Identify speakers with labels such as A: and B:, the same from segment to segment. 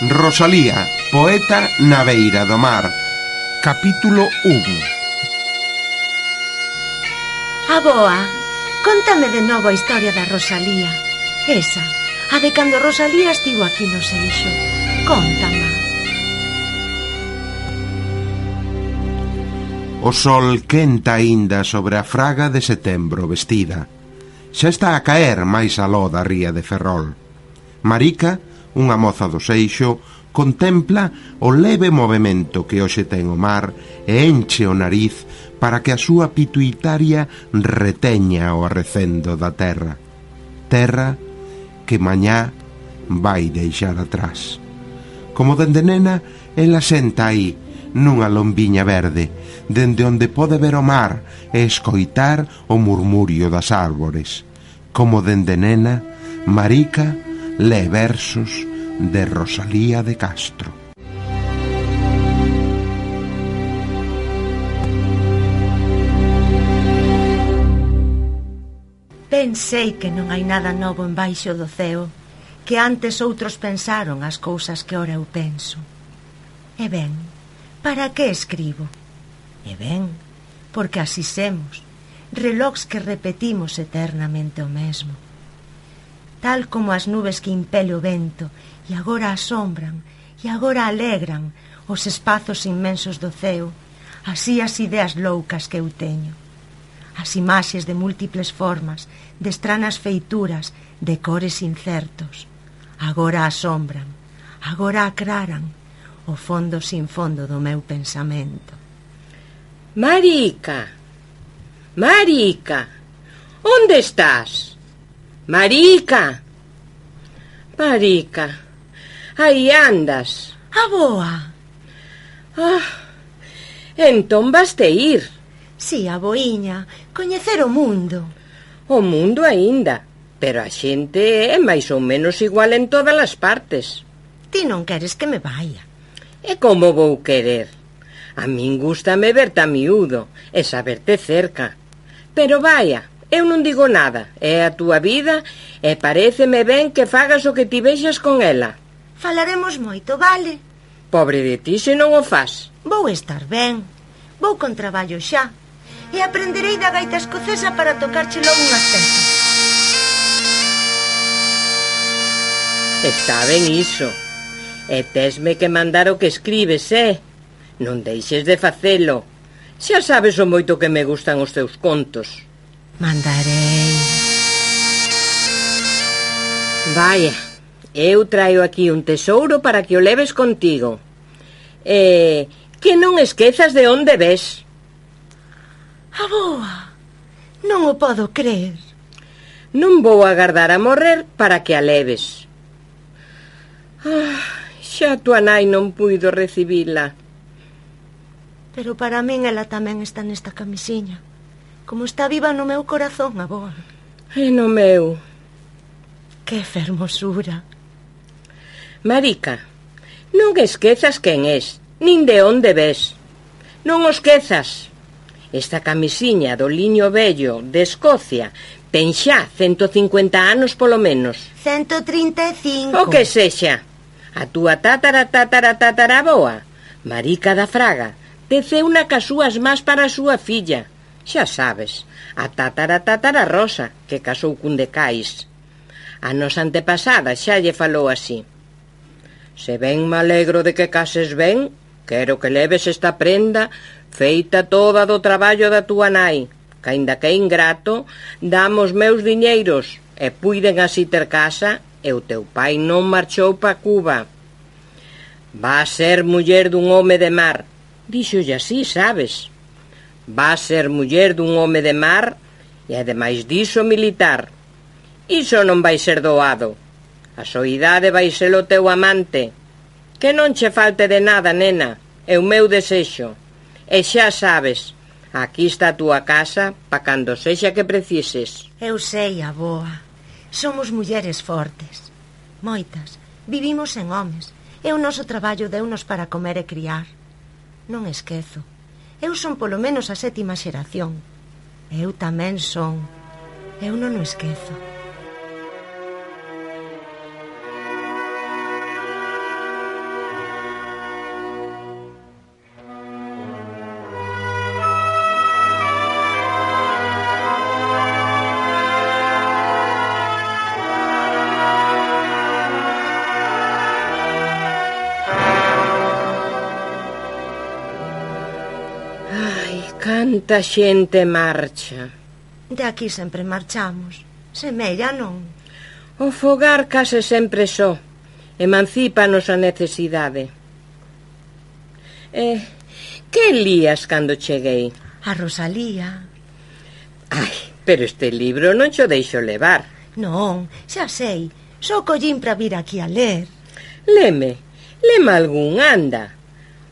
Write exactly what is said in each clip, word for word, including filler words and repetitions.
A: Rosalía, poeta na beira do mar. Capítulo un.
B: Aboa, contame de novo a historia da Rosalía. Esa, a de cando Rosalía estivo aquí no Seixo. Contama.
A: O sol quenta aínda sobre a fraga de setembro vestida. Xa está a caer máis aló da ría de Ferrol. Marica, unha moza do Seixo, contempla o leve movimento que hoxe ten o mar e enche o nariz para que a súa pituitaria reteña o arrecendo da terra. Terra que mañá vai deixar atrás. Como dende nena, ela senta aí, nunha lombiña verde, dende onde pode ver o mar e escoitar o murmurio das árbores. Como dende nena, Marica lé versos de Rosalía de Castro.
B: Pensei que non hai nada novo embaixo do ceo, que antes outros pensaron as cousas que ora eu penso. E ben, para que escribo? E ben, porque así semos, relóx que repetimos eternamente o mesmo. Tal como as nubes que impele o vento e agora asombran e agora alegran os espazos inmensos do ceo, así as ideas loucas que eu teño. As imaxes de múltiples formas, de estranas feituras, de cores incertos. Agora asombran, agora aclaran o fondo sin fondo do meu pensamento.
C: Marica, Marica, onde estás? Marica, Marica, aí andas.
B: Aboa!
C: Ah, entón vaste ir.
B: Si, aboiña, coñecer o mundo.
C: O mundo aínda, pero a xente é máis ou menos igual en todas as partes.
B: Ti non queres que me vaya.
C: E como vou querer? A min gústame verte a miúdo e saberte cerca. Pero vaya, eu non digo nada, é a túa vida e paréceme ben que fagas o que ti vexas con ela.
B: Falaremos moito, vale?
C: Pobre de ti se non o fas.
B: Vou estar ben, vou con traballo xa e aprenderei da gaita escocesa para tocarche logo unhas pezas.
C: Está ben iso, e tesme que mandar o que escribes, eh? Non deixes de facelo, xa sabes o moito que me gustan os teus contos.
B: Mandarei.
C: Vaya, eu traio aquí un tesouro para que o leves contigo. E que non esquezas de onde ves.
B: Aboa, non o podo creer.
C: Non vou agardar a morrer para que a leves. Ah, xa tua nai non puido recibila.
B: Pero para min ela tamén está nesta camisiña. Como está viva no meu corazón, aboa.
C: E no meu.
B: Que fermosura.
C: Marica, non esquezas quen és, nin de onde ves. Non o esquezas. Esta camisiña do liño vello de Escocia ten xa cento cincuenta anos polo menos.
B: Cento trinta e cinco.
C: O que sexa. A túa tátara tátara tataraboa, Marica da Fraga, teceu na cas súas más para a súa filla. Xa sabes, a tátara tátara Rosa, que casou cun de Cais. A nosa antepasada xa lle falou así. Se ben me alegro de que cases ben, quero que leves esta prenda feita toda do traballo da túa nai, que aínda que é ingrato, damos meus diñeiros e puiden así ter casa e o teu pai non marchou pa Cuba. Va a ser muller dun home de mar, díxolle así, sabes? Va a ser muller dun home de mar e ademais diso militar. Iso non vai ser doado. A soidade vai ser o teu amante. Que non che falte de nada, nena, é o meu desexo. E xa sabes, aquí está a túa casa pa cando sexa que precises.
B: Eu sei, aboa. Somos mulleres fortes. Moitas. Vivimos en homes. E o noso traballo deunos para comer e criar. Non esquezo. Eu son polo menos a sétima xeración. Eu tamén son. Eu non o esquezo.
C: Canta xente marcha.
B: De aquí sempre marchamos. Semella, non?
C: O fogar case sempre só. Emancípanos a necesidade. Eh, que lías cando cheguei?
B: A Rosalía.
C: Ai, pero este libro non xo deixo levar.
B: Non, xa sei. Só collín para vir aquí a ler.
C: Leme, leme algún, anda.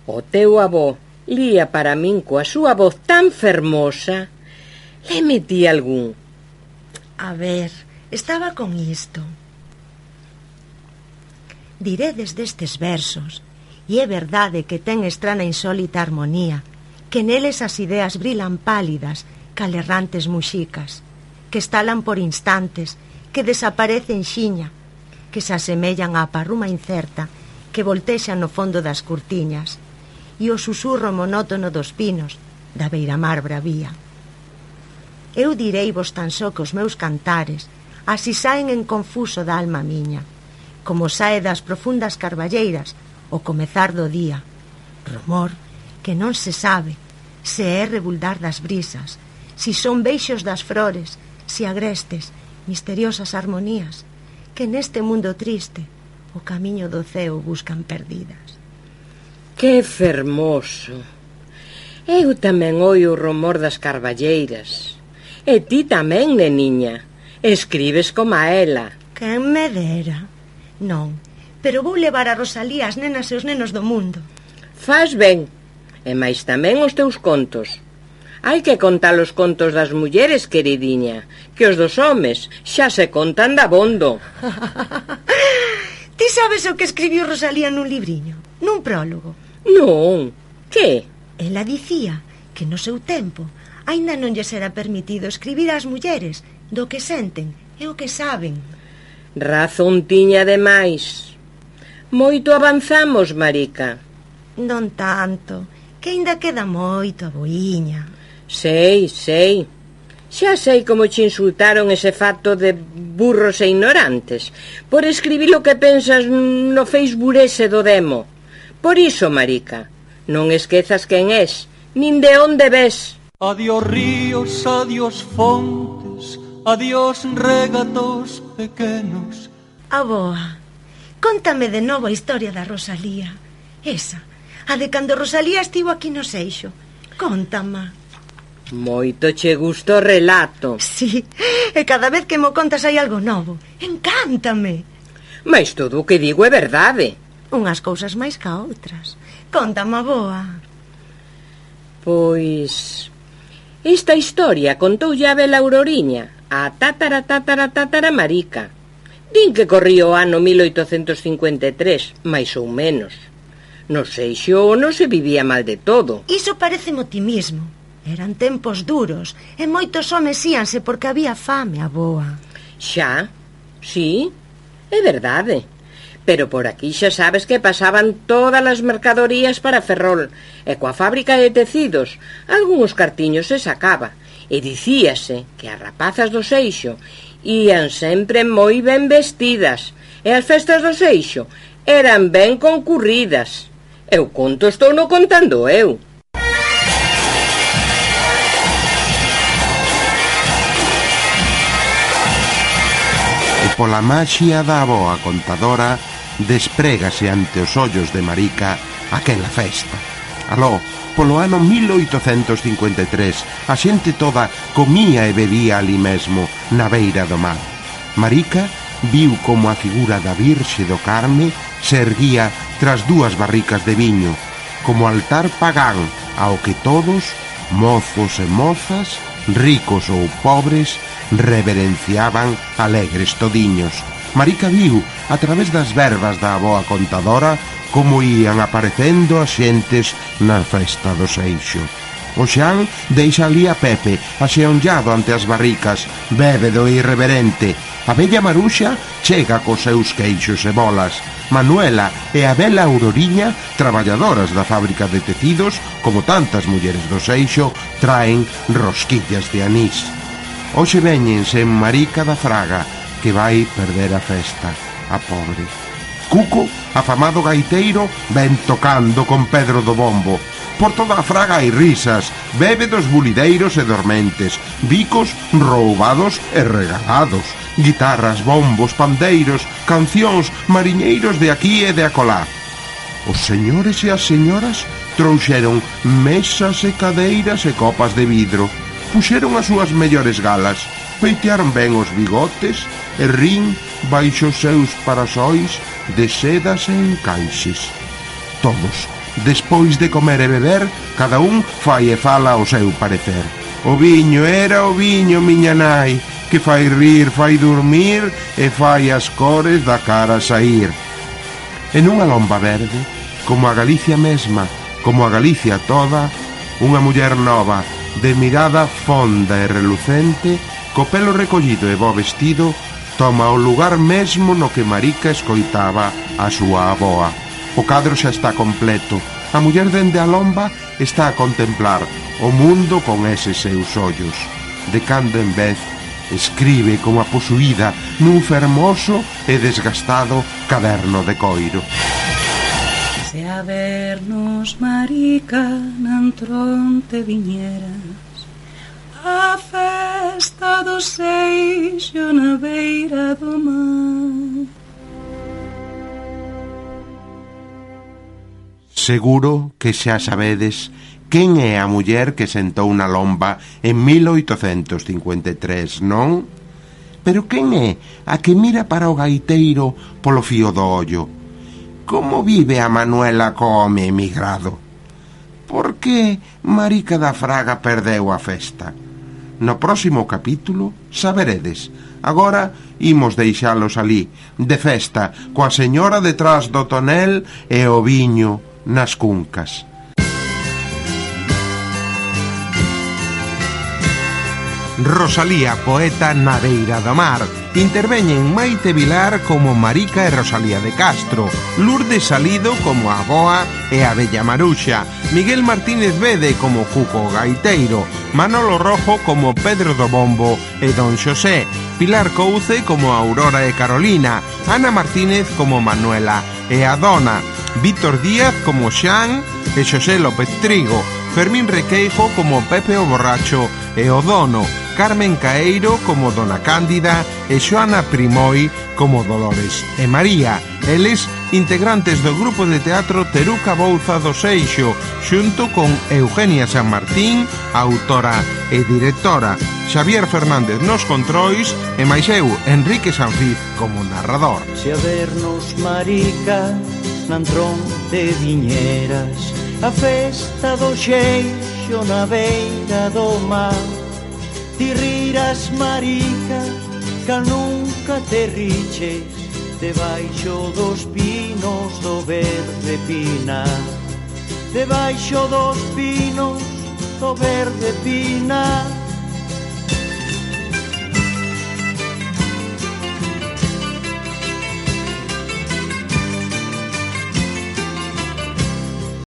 C: O teu avó lía para min coa súa voz tan fermosa. Leme ti algún.
B: A ver, estaba con isto. Diredes destes versos, e é verdade que ten estrana insólita armonía, que neles as ideas brilan pálidas, cal errantes muxicas, que estalan por instantes, que desaparecen xiña, que se asemellan á parruma incerta, que voltexa no fondo das curtiñas, e o susurro monótono dos pinos, da beiramar bravía. Eu direi vos tan só que os meus cantares así saen en confuso da alma miña, como sae das profundas carballeiras o comezar do día, rumor que non se sabe se é rebuldar das brisas, si son beixos das flores, si agrestes, misteriosas armonías, que neste mundo triste o camiño do ceo buscan perdidas.
C: Que fermoso! Eu tamén oio o rumor das carballeiras. E ti tamén, neniña. Escribes como a ela.
B: Quen me dera. Non, pero vou levar a Rosalía as nenas e os nenos do mundo.
C: Faz ben. E máis tamén os teus contos. Hai que contar os contos das mulleres, queridiña, que os dos homes xa se contan dabondo.
B: Ti sabes o que escribiu Rosalía nun libriño, nun prólogo?
C: Non, que?
B: Ela dicía que no seu tempo aínda non lles era permitido escribir ás mulleres do que senten e o que saben.
C: Razón tiña demais. Moito avanzamos, Marica.
B: Non tanto, que aínda queda moito, aboiña.
C: Sei, sei. Xa sei como che insultaron ese facto de burros e ignorantes por escribir o que pensas no Facebook ese do demo. Por iso, Marica, non esquezas quen és, nin de onde ves.
D: Adiós ríos, adiós fontes, adiós regatos pequenos.
B: Aboa, cóntame de novo a historia da Rosalía. Esa, a de cando Rosalía estivo aquí no Seixo. Cóntama.
C: Moito che gusta o relato.
B: Sí, e cada vez que mo contas hai algo novo. Encántame.
C: Mais todo o que digo é verdade.
B: Unhas cousas máis ca outras. Cóntame, aboa.
C: Pois... esta historia contoulle a vela Auroriña, a tátara tátara tátara Marica. Din que corría o ano mil oitocentos cincuenta e tres, máis ou menos. No Seixo non se vivía mal de todo.
B: Iso parece optimismo. Eran tempos duros e moitos homes íanse porque había fame, aboa.
C: Xa, sí, é verdade. Pero por aquí xa sabes que pasaban todas as mercadorías para Ferrol, e coa fábrica de tecidos algúns cartiños se sacaba, e dicíase que as rapazas do Seixo ían sempre moi ben vestidas, e as festas do Seixo eran ben concurridas. Eu conto estou no contando eu.
A: E pola maxia da avoa contadora desprégase ante os ollos de Marica aquela festa. Aló, polo ano mil oitocentos cincuenta e tres, a xente toda comía e bebía ali mesmo, na beira do mar. Marica viu como a figura da Virxe do Carme se erguía tras dúas barricas de viño, como altar pagán ao que todos, mozos e mozas, ricos ou pobres, reverenciaban alegres todiños. Marica viu, a través das verbas da avoa contadora, como ían aparecendo as xentes na festa do Seixo. O Xan deixa ali a Pepe, axeonllado ante as barricas, bebe do irreverente. A bella Maruxa chega cos seus queixos e bolas. Manuela e a bela Auroriña, traballadoras da fábrica de tecidos, como tantas mulleres do Seixo, traen rosquillas de anís. Hoxe veñense en Marica da Fraga, que vai perder a festa, a pobre. Cuco, afamado gaiteiro, ven tocando con Pedro do Bombo. Por toda a Fraga hai risas, bébedos bulideiros e dormentes, bicos roubados e regalados, guitarras, bombos, pandeiros, cancións, mariñeiros de aquí e de acolá. Os señores e as señoras trouxeron mesas e cadeiras e copas de vidro, puxeron as súas mellores galas, peitearon ben os bigotes e rin baixo os seus parasóis de sedas e encaixes. Todos, despois de comer e beber, cada un fai e fala o seu parecer. O viño era o viño, miña nai, que fai rir, fai dormir e fai as cores da cara saír. En unha lomba verde, como a Galicia mesma, como a Galicia toda, unha muller nova, de mirada fonda e relucente, co pelo recollido e bo vestido, toma o lugar mesmo no que Marica escoitaba a súa avoa. O cadro xa está completo. A muller dende a lomba está a contemplar o mundo con eses seus ollos. De cando en vez, escribe como a posuída nun fermoso e desgastado caderno de coiro.
E: Se a vernos, Marica, nantron te viñeras a festa do Seixo na beira do mar.
A: Seguro que xa sabedes quen é a muller que sentou na lomba en mil oitocentos cincuenta e tres, non? Pero quen é a que mira para o gaiteiro polo fío do ollo? Como vive a Manuela co home emigrado? Por que Marica da Fraga perdeu a festa? No próximo capítulo saberedes. Agora imos deixalos ali, de festa, coa señora detrás do tonel e o viño nas cuncas. Rosalía, poeta na beira do mar. Interveñen Maite Vilar como Marica e Rosalía de Castro, Lourdes Salido como a avoa e a Bella Maruxa, Miguel Martínez Bede como Cuco Gaiteiro, Manolo Rojo como Pedro do Bombo e Don Xosé, Pilar Couce como Aurora e Carolina, Ana Martínez como Manuela e a Dona, Víctor Díaz como Xan e Xosé López Trigo, Fermín Requeijo como Pepe o Borracho e o Dono, Carmen Caeiro como Dona Cándida e Xoana Primoi como Dolores e María, eles integrantes do grupo de teatro Teruca Bouza do Seixo, xunto con Eugenia San Martín, autora e directora, Xavier Fernández nos controis e máis eu, Enrique Sanfiz, como narrador.
D: Se a vernos, Marica, nantron de viñeras a festa do Xeixo na beira do mar. Ti riras, Marica, ca nunca te riches debaixo dos pinos do verde pinar. Debaixo dos pinos do verde pinar.